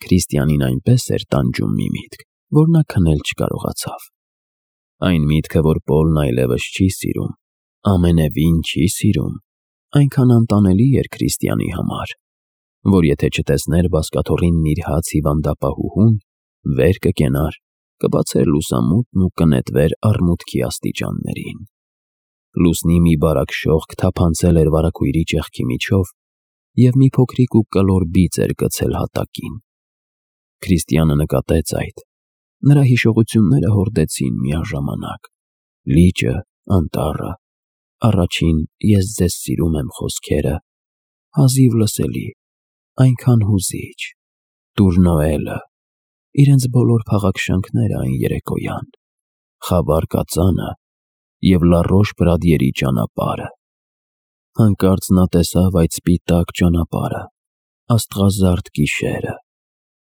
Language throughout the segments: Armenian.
Քրիստիանին այնպես էր տանջում մի միտք, որ նա քնել չկարողացավ։ Այն միտքը, որ Պոլն այլևս չի սիրում, ամենևին չի սիրում, այնքան անտանելի էր Քրիստիանի համար, որ եթե չտեսներ բազկաթոռինն իր հաց հիվանդապահուհուն, վեր կկենար, կբացեր լուսամուտն ու կնետվեր արմուտքի աստիճաններին։ Լուսնի մի բարակ շողք թափանցել էր վարագույրի ճեղքի միջով և մի փոքրիկ ու կլոր բիծ էր գցել հատակին։ Քրիստիանը նկատեց այդ։ Նրա հիշողությունները հորդեցին միաժամանակ. լիճը, անտառը, առաջին «Ես ձեզ սիրում եմ» խոսքերը, հազիվ լսելի, այնքան հուզիչ, Տուր Նոելը, իրենց բոլոր փաղաքշանքները այն երեկոյան, խավար կածանը և Լա Ռոշ-Պրադիերի ճանապարհը։ Հանկարծ նա տեսավ այդ սպիտակ ճանապարհը, աստղազարդ գիշերը,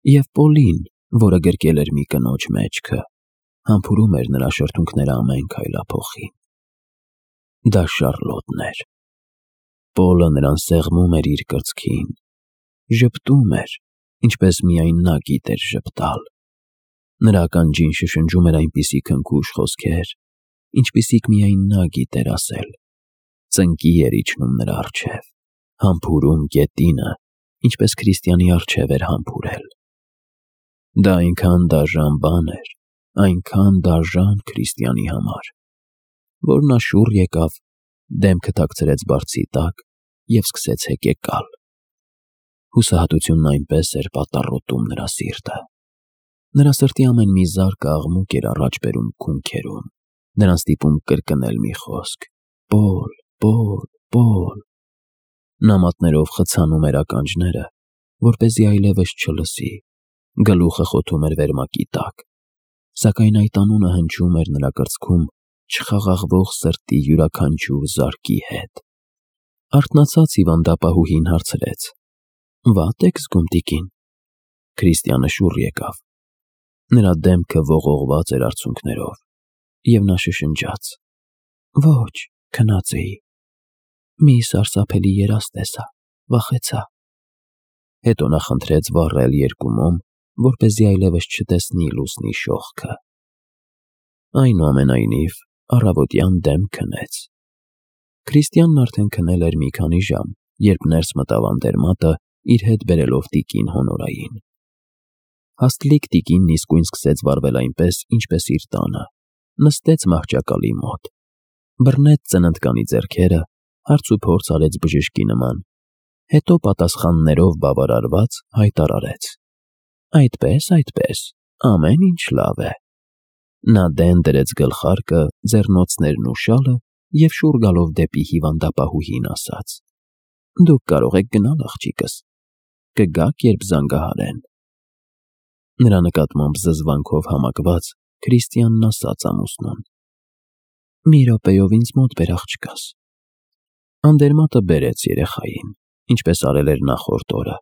և Պոլին, որը գրկել էր մի կնոջ մեջքը, համբուրում էր նրա շրթունքները ամեն քայլափոխին։ Դա Շառլոտն էր։ Պոլը նրան սեղմում էր իր կրծքին, ժպտում էր, ինչպես միայն նա գիտեր ժպտալ։ Նրա ականջին շշնջում էր այնպիսի քնքուշ խոսքեր, ինչպիսիք միայն նա գիտեր ասել։ Ծնկի էր իջնում նրա առջև, համբուրում գետինը, ինչպես Քրիստիանի առջև էր համբուրել։ Դա այնքան դաժան բան էր, այնքան դաժան Քրիստիանի համար, որ նա շուռ եկավ, դեմքը թաքցրեց բարձի տակ և սկսեց հեկեկալ։ Հուսահատությունն այնպես էր պատառոտում նրա սիրտը։ Նրա սրտի ամեն մի զարկը աղմուկ էր առաջ բերում քունքերում, նրան ստիպում կրկնել մի խոսք. «Պոլ, Պոլ, Պոլ»։ Նա մատներով խցանում էր ականջները, որպեսզի այլևս չլսի, գլուխը խոթում էր վերմակի տակ, սակայն այդ անունը հնչում էր նրա կրծքում չխաղաղվող սրտի յուրաքանչյուր զարկի հետ։ Արթնացած հիվանդապահուհին հարցրեց. «Վատ եք զգում, տիկին»։ Քրիստիանը շուռ եկավ։ Նրա դեմքը ողողված էր արցունքներով, և նա շշնջաց. «Ոչ, քնած էի։ Մի սարսափելի երազ տեսա, վախեցա»։ Հետո նա խնդրեց վառել երկու մոմ, որպեսզի այլևս չտեսնի լուսնի շողքը։ Այնուամենայնիվ, առավոտյան դեմ քնեց։ Քրիստիանն արդեն քնել էր մի քանի ժամ, երբ ներս մտավ Անդերմատը, իր հետ բերելով տիկին Հոնորային։ Հաստլիկ տիկինն իսկույն սկսեց վարվել այնպես, ինչպես իր տանը, նստեց մահճակալի մոտ, բռնեց ծննդկանի ձեռքերը, հարցուփորձ արեց բժշկի նման, հետո պատասխաններով բավարարված հայտարարեց. Այդպես, ամեն ինչ լավ է։ Նա դեն դրեց գլխարկը, ձեռնոցներն ու շալը և շուռ գալով դեպի հիվանդապահուհին ասաց. «Դուք կարող եք գնալ, աղջիկս, կգաք, երբ զանգահարեն»։ Նրա նկատմամբ զզվանքով համակված Քրիստիանն ասաց ամուսնուն. «Մի րոպեով ինձ մոտ բեր, աղջկաս»։ Անդերմատը բերեց երեխային, ինչպես արել էր նախորդ օրը,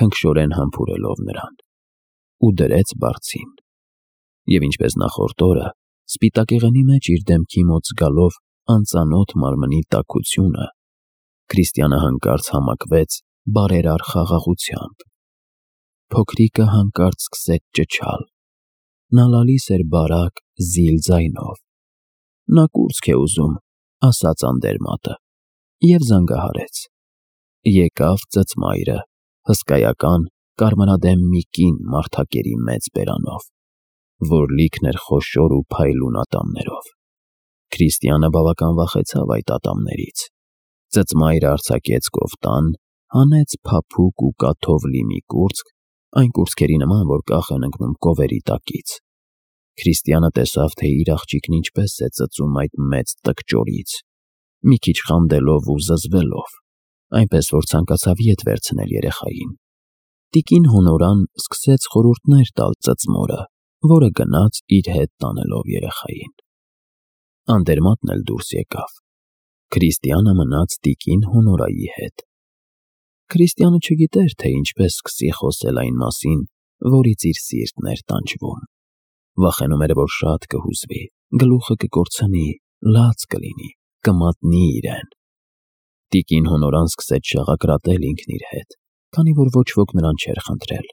քնքշորեն համբուրելով նրան, ու դրեց բարձին։ Եվ ինչպես նախորդ օրը, սպիտակեղենի մեջ իր դեմքի մոտ զգալով անծանոթ մարմնի տաքությունը, Քրիստիանը հանկարծ համակվեց բարերար խաղաղությամբ։ Փոքրիկը հանկարծ սկսեց ճչալ։ Նա լալիս էր բարակ, զիլ ձայնով։ «Նա կուրծք է ուզում», ասաց Անդերմատը, և զանգահարեց։ Եկավ ծծմայրը, հսկայական, կարմրադեմ մի կին մարդակերի մեծ բերանով, որ լիքն էր խոշոր ու փայլուն ատամներով։ Քրիստիանը բավական վախեցավ այդ ատամներից։ Ծծմայրը արձակեց կոֆտան, հանեց փափուկ ու կաթով լի մի կուրծք, այն կուրծքերի նման, որ կախ են ընկնում կովերի տակից։ Քրիստիանը տեսավ, թե իր աղջիկն ինչպես է ծծում այդ մեծ տկճորից, մի քիչ խանդելով ու զզվելով, այնպես որ ցանկացավ ետ վերցնել երեխային։ Տիկին Հոնորան սկսեց խորհուրդներ տալ ծծմորը, որը գնաց իր հետ տանելով երեխային։ Անդերմատն էլ դուրս եկավ։ Քրիստիանը մնաց տիկին Հոնորայի հետ։ Քրիստիանը չգիտեր, թե ինչպես սկսի խոսել այն մասին, որից իր սիրտն էր տանջվում։ Վախենում էր, որ շատ կհուզվի, գլուխը կկորցնի, լաց կլինի, կմատնի իրեն։ Տիկին Հոնորան սկսեց շաղակրատել ինքն իր հետ, քանի որ ոչ ոք նրան չէր խնդրել։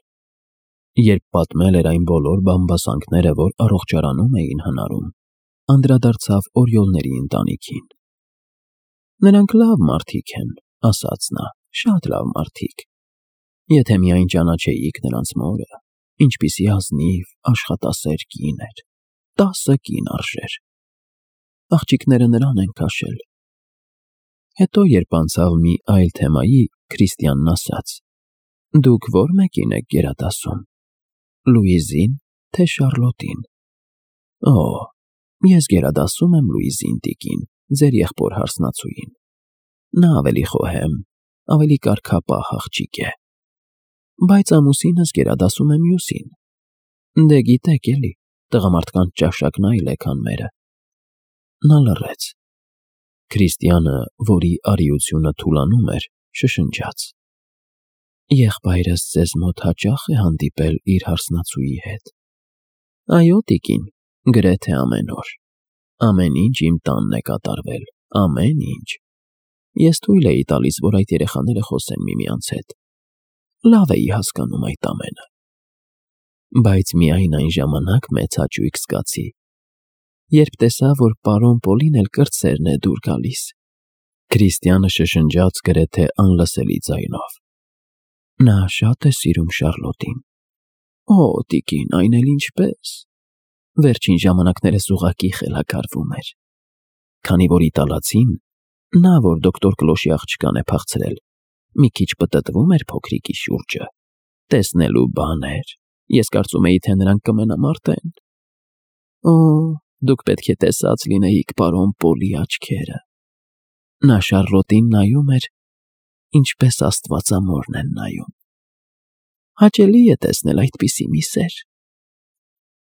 Երբ պատմել էր այն բոլոր բամբասանքները, որ առողջարանում էին հնարում, անդրադարձավ օրիոլների ընտանիքին։ «Նրանք լավ մարդիկ են», ասաց նա, «շատ լավ մարդիկ։ Եթե միայն ճանաչեիք նրանց մորը, ինչպիսի ազնիվ, աշխատասեր կին էր, 10 կին արժեր։ Աղջիկները նրան են քաշել»։ Հետո, երբ անցավ մի այլ թեմայի, Քրիստիանն ասաց. «Դուք ո՞ր մեկին եք գերադասում, Լուիզին, թե Շարլոտին»։ «Օ, ես գերադասում եմ Լուիզին, տիկին, ձեր եղբոր հարսնացուին։ Նա ավելի խոհեմ, ավելի կարգապահ աղջիկ է։ Բայց ամուսինս գերադասում է մյուսին։ Դե գիտեք էլի, տղամարդկանց ճաշակն այլ է, քան մերը»։ Նա լռեց։ Քրիստիանը, որի արիությունը թուլանում էր, շշնջաց. «Եղբայրս ձեզ մոտ հաճա՞խ է հանդիպել իր հարսնացուի հետ»։ «Այո, տիկին, գրեթե ամեն օր։ Ամեն ինչ իմ տանն է կատարվել, ամեն ինչ։ Ես թույլ էի տալիս, որ այդ երեխաները խոսեն միմյանց հետ։ Լավ էի հասկանում այդ ամենը։ Բայց միայն այն ժամանակ մեծ հաճույք զգացի, երբ տեսա, որ պարոն Պոլին էլ կրտսերն է դուր գալիս»։ Քրիստիանը շշնջաց գրեթե անլսելի ձայնով. «Նա շատ է սիրում Շարլոտին»։ «Օ, տիկին, այն էլ ինչպես։ Վերջին ժամանակներս ուղղակի խելագարվում էր։ Քանի որ իտալացին, նա, որ դոկտոր Կլոշի աղջկան է փախցրել, մի քիչ պտտվում էր փոքրիկի շուրջը, տեսնելու բաներ։ Ես կարծում էի, թե նրանք կմենամարտեն։ Օ, դուք պետք է տեսած լինեիք պարոն Պոլի աչքերը։ Նա Շարլոտին նայում էր, ինչպես աստվածամորն են նայում։ Հաճելի է տեսնել այդպիսի մի սեր»։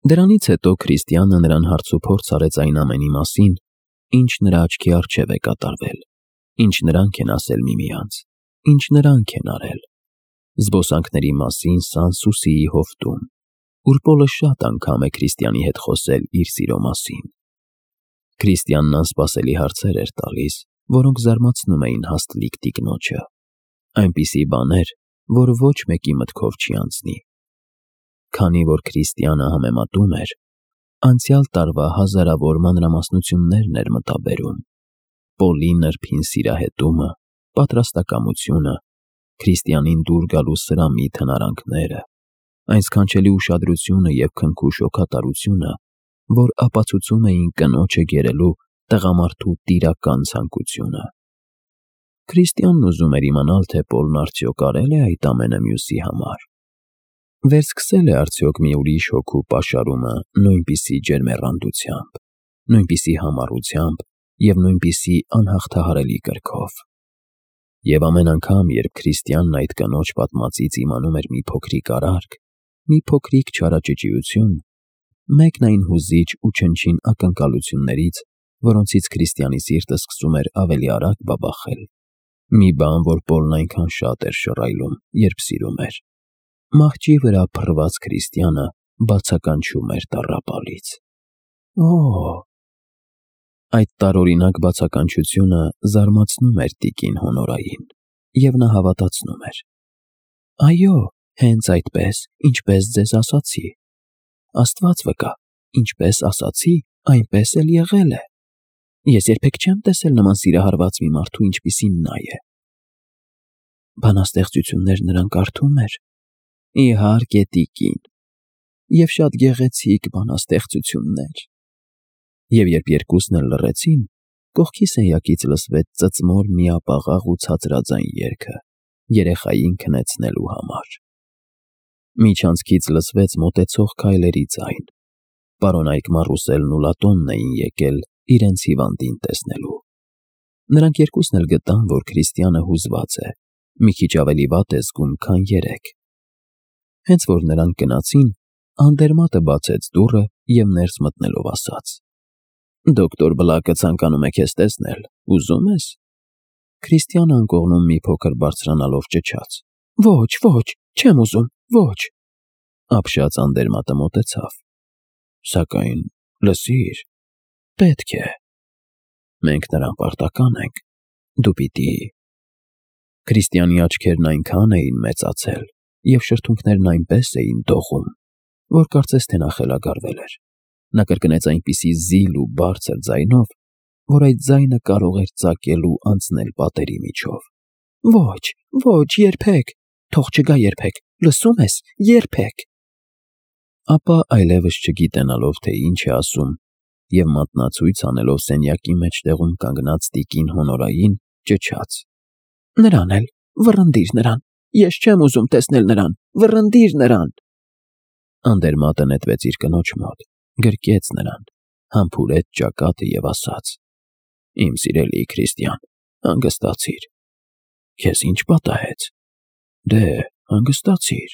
Դրանից հետո Քրիստիանը նրան հարցուփորձ արեց այն ամենի մասին, ինչ նրա աչքի առջև է կատարվել, ինչ նրանք են ասել միմյանց, ինչ նրանք են արել։ Զբոսանքների մասին Սան-Սուսիի հովտում, ուր Պոլը շատ անգամ է Քրիստիանի հետ խոսել իր սիրո մասին։ Քրիստիանն անսպասելի հարցեր էր տալիս, որոնք զարմացնում էին հաստլիկ տիկնոջը։ Այնպիսի բաներ, որ ոչ մեկի մտքով չի անցնի։ Քանի որ Քրիստիանը համեմատում էր, անցյալ տարվա հազարավոր մանրամասնություններն էր մտաբերում։ Պոլի նրբին սիրահետումը, պատրաստակամությունը, Քրիստիանին դուր գալու սրամիտ հնարանքները, այն սքանչելի ուշադրությունը և քնքուշ հոգատարությունը, որ ապացուցում էին կնոջը գերելու տղամարդու տիրական ցանկությունը։ Քրիստիանն ուզում էր իմանալ, թե Պոլն արդյոք արել է այդ ամենը մյուսի համար։ Վերսկսել է արդյոք մի ուրիշ հոգու պաշարումը նույնպիսի ջերմեռանդությամբ, նույնպիսի համառությամբ և նույնպիսի անհաղթահարելի կրքով։ Եվ ամեն անգամ, երբ Քրիստիանն այդ կնոջ պատմածից իմանում էր մի փոքրիկ արարք, մի փոքրիկ չարաճճիություն, մեկն այն հուզիչ ու չնչին ակնկալություններից, որոնցից Քրիստիանի սիրտը սկսում էր ավելի արագ բաբախել, մի բան, որ Պոլն այնքան շատ էր շռայլում, երբ սիրում էր, մահճի վրա փռված Քրիստիանը բացականչում էր տառապալից։ Օ՜։ Այդ տարօրինակ բացականչությունը զարմացնում էր տիկին Հոնորային, և նա հավատացնում էր. «Այո, հենց այդպես, ինչպես ձեզ ասացի։ Աստված վկա, ինչպես ասացի, այնպես էլ եղել է։ Ես երբեք չեմ տեսել նման սիրահարված մի մարդու, ինչպիսին նա է»։ Բանաստեղծություններ նրան կարդում էր։ Իհարկե, տիկին, և շատ գեղեցիկ բանաստեղծություններ։ Եվ երբ երկուսն էլ լռեցին, կողքի սենյակից լսվեց ծծմոր միապաղաղ ու ցածրաձայն երգը, երեխային քնեցնելու համար։ Միջանցքից լսվեց մոտեցող քայլերի ձայն։ Պարոնայք Մարուսելն ու Լատոնն էին եկել իրենց հիվանդին տեսնելու։ Նրանք երկուսն էլ գտան, որ Քրիստիանը հուզված է, մի քիչ ավելի վատ է զգում, քան երեկ։ Հենց որ նրանք գնացին, Անդերմատը բացեց դուռը և ներս մտնելով ասաց. «Դոկտոր Բլակը ցանկանում է քեզ տեսնել, ուզում ես»։ Քրիստիանը անկողնում մի փոքր բարձրանալով ճչաց. «Ոչ, ոչ, չեմ ուզում, ոչ»։ Ապշած Անդերմատը մոտեցավ. «Սակայն, լսիր, պետք է։ Մենք նրան պարտական ենք, դու պիտի»։ Քրիստիանի աչքերն այնքան էին մեծացել, և շրթունքներն այնպես էին դողում, որ կարծես թե նա խելագարվել էր։ Նա կրկնեց այնպիսի զիլ ու բարձր ձայնով, որ այդ ձայնը կարող էր ծակել ու անցնել պատերի միջով։ Ոչ, ոչ, երբեք, թող չգա երբեք, լսում ես, երբեք։ Ապա այլևս չգիտենալով, թե ինչ է ասում, և մատնացույց անելով սենյակի մեջտեղում կանգնած տիկին Հոնորային, ճչաց. Նրան էլ, վռնդիր նրան, ես չեմ ուզում տեսնել նրան, վռնդիր նրան։ Անդերմատը նետվեց իր կնոջ մոտ, գրկեց նրան, համբուրեց ճակատը և ասաց. Իմ սիրելի Քրիստիան, հանգստացիր։ Քեզ ինչ պատահեց։ Դե, հանգստացիր։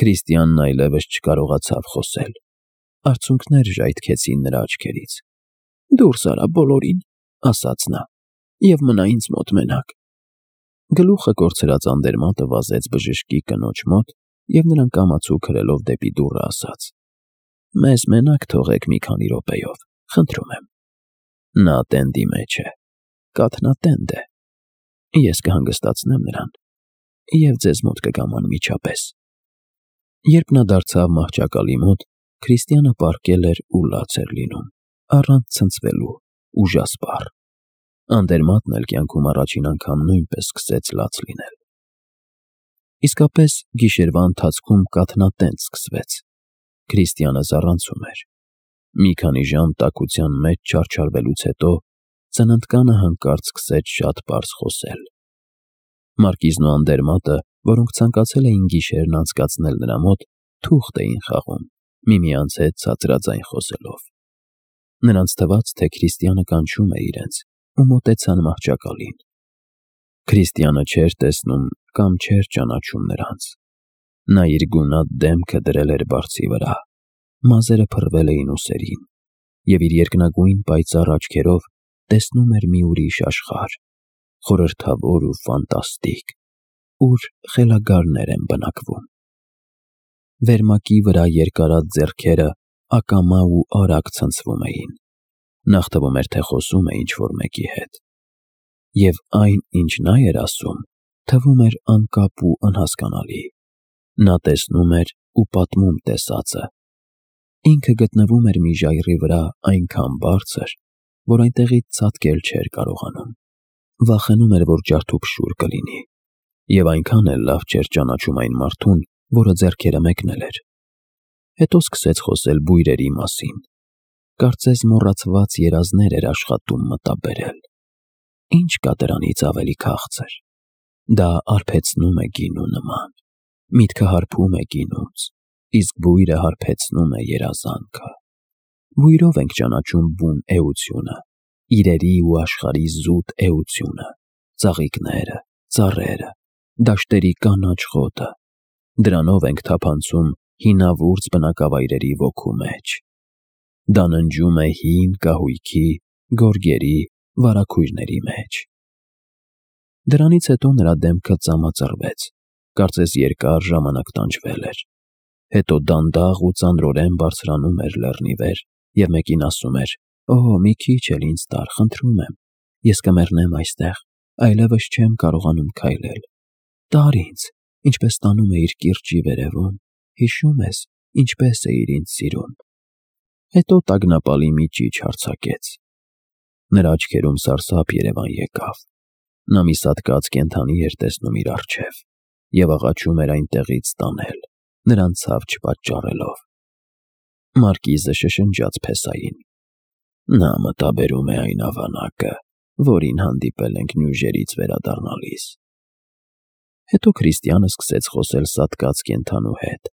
Քրիստիանն այլևս չկարողացավ խոսել։ Արցունքներ ժայթքեցին նրա աչքերից։ Դուրս արա բոլորին, ասաց նա, և մնա ինձ մոտ մենակ։ Գլուխը կորցրած Անդերմատը վազեց բժշկի կնոջ մոտ և նրան կամացու քրելով դեպի դուռը ասաց. Մեզ մենակ թողեք մի քանի րոպեով, խնդրում եմ։ Նա տենդի մեջ է, կաթնատենդ է։ Ես կհանգստացնեմ նրան և ձեզ մոտ կգամ անմիջապես։ Երբ նա դարձավ մահճակալի մոտ, Քրիստիանը պառկել էր ու լաց էր լինում, առանց ցնցվելու, ուժասպառ։ Անդերմատն էլ կյանքում առաջին անգամ նույնպես սկսեց լաց լինել։ Իսկապես գիշերվա ընթացքում կաթնատենդ սկսվեց։ Քրիստիանը զառանցում էր։ Մի քանի ժամ տաքության մեջ չարչարվելուց հետո ծննդկանը հանկարծ սկսեց շատ պարզ խոսել։ Մարկիզն ու Անդերմատը, որոնք ցանկացել էին գիշերն անցկացնել նրա մոտ, թուղթ էին խաղում, միմյանց հետ ցածրաձայն խոսելով։ Նրանց թվաց, թե Քրիստիանը կանչում է իրենց, ու մոտեցան մահճակալին։ Քրիստիանը չէր տեսնում կամ չէր ճանաչում նրանց։ Նա իր գունատ դեմքը դրել էր բարձի վրա, մազերը փռվել էին ուսերին, և իր երկնագույն պայծառ աչքերով տեսնում էր մի ուրիշ աշխարհ, խորհրդավոր ու ֆանտաստիկ, ուր խելագարներ են բնակվում։ Վերմակի վրա երկարած ձեռքերը ակամա ու արագ ցնցվում էին։ Նախ թվում էր, թե խոսում է ինչ-որ մեկի հետ։ Եվ այն, ինչ նա էր ասում, թվում էր անկապ ու անհասկանալի։ Նա տեսնում էր ու պատմում տեսածը։ Ինքը գտնվում էր մի ժայռի վրա այնքան բարձր, որ այնտեղից ցատկել չէր կարողանում։ Վախենում էր, որ ջարդուփշուր կլինի, և այնքան էլ լավ չէր ճանաչում այն մարդուն, որը ձեռքերը մեկնել էր։ Հետո սկսեց խոսել բույրերի մասին։ Կարծես մոռացված երազներ էր աշխատում մտաբերել։ Ինչ կա դրանից ավելի քաղցր։ Դա արբեցնում է գինու նման։ Միտքը հարբում է գինուց, իսկ բույրը հարբեցնում է երազանքը։ Բույրով ենք ճանաչում բուն էությունը, իրերի ու աշխարհի զուտ էությունը, ծաղիկները, ծառերը, դաշտերի կանաչ խոտը։ Դրանով ենք թափանցում հինավուրց բնակավայրերի ոգու մեջ։ Դա ննջում է հին կահույքի, գորգերի, վարագույրների մեջ։ Դրանից հետո նրա դեմքը ծամածռվեց, կարծես երկար ժամանակ տանջվել էր։ Հետո դանդաղ ու ծանրորեն բարձրանում էր լեռնի վեր և մեկին ասում էր. «Օ, մի քիչ էլ ինձ տար, խնդրում եմ, ես կմեռնեմ այստեղ, այլևս չեմ կարողանում քայլել։ Տար ինձ, ինչպես տանում էիր կիրճի վերևում, հիշո՞ւմ ես, ինչպես էիր ինձ սիրում»։ Հետո տագնապալի մի ճիչ արձակեց։ Նրա աչքերում սարսափ երևան եկավ։ Նա մի սատկած կենդանի էր տեսնում իր առջև և աղաչում էր այնտեղից տանել, նրան ցավ չպատճառելով։ Մարկիզը շշնջաց փեսային. Նա մտաբերում է այն ավանակը, որին հանդիպել ենք նյուժերից վերադառնալիս։ Հետո Քրիստիանը սկսեց խոսել սատկած կենդանու հետ։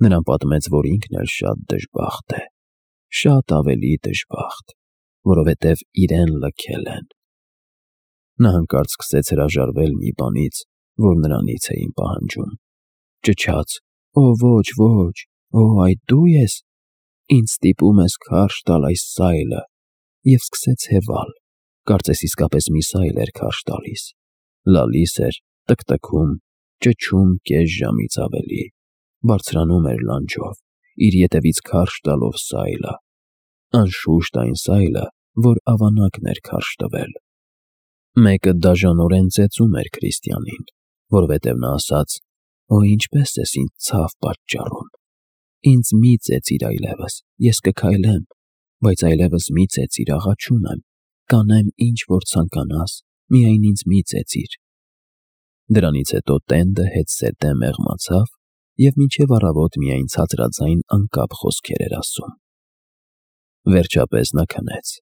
Նրան պատմեց, որ ինքն էլ շատ դժբախտ է, շատ ավելի դժբախտ, որովհետև իրեն լքել են։ Նա հանկարծ սկսեց հրաժարվել մի բանից, որ նրանից էին պահանջում։ Ճչաց. «Օ, ոչ, ոչ, օ, այդ դու ես, ինձ ստիպում ես քարշ տալ այս սայլը», և սկսեց հևալ, կարծես իսկապես մի սայլ էր քարշ տալիս։ Լալիս էր, տկտկում, ճչում կես ժամից ավելի, բարձրանում էր լանջով, իր ետևից քարշ տալով սայլը։ Անշուշտ այն սայլը, որ ավանակն էր քարշ տվել։ Մեկը դաժանորեն ծեծում էր Քրիստիանին, որովհետև նա ասաց. Օ, ինչպես ես ինձ ցավ պատճառում։ Ինձ մի ծեծիր այլևս, ես կքայլեմ, բայց այլևս մի ծեծիր, աղաչում եմ, կանեմ ինչ որ ցանկանաս, միայն ինձ մի ծեծիր։ Դրանից հետո տենդը հետզհետե մեղմացավ և մինչև առավոտ միայն ցածրաձայն անկապ խոսքեր էր ասում։ Վերջապես նա քնեց։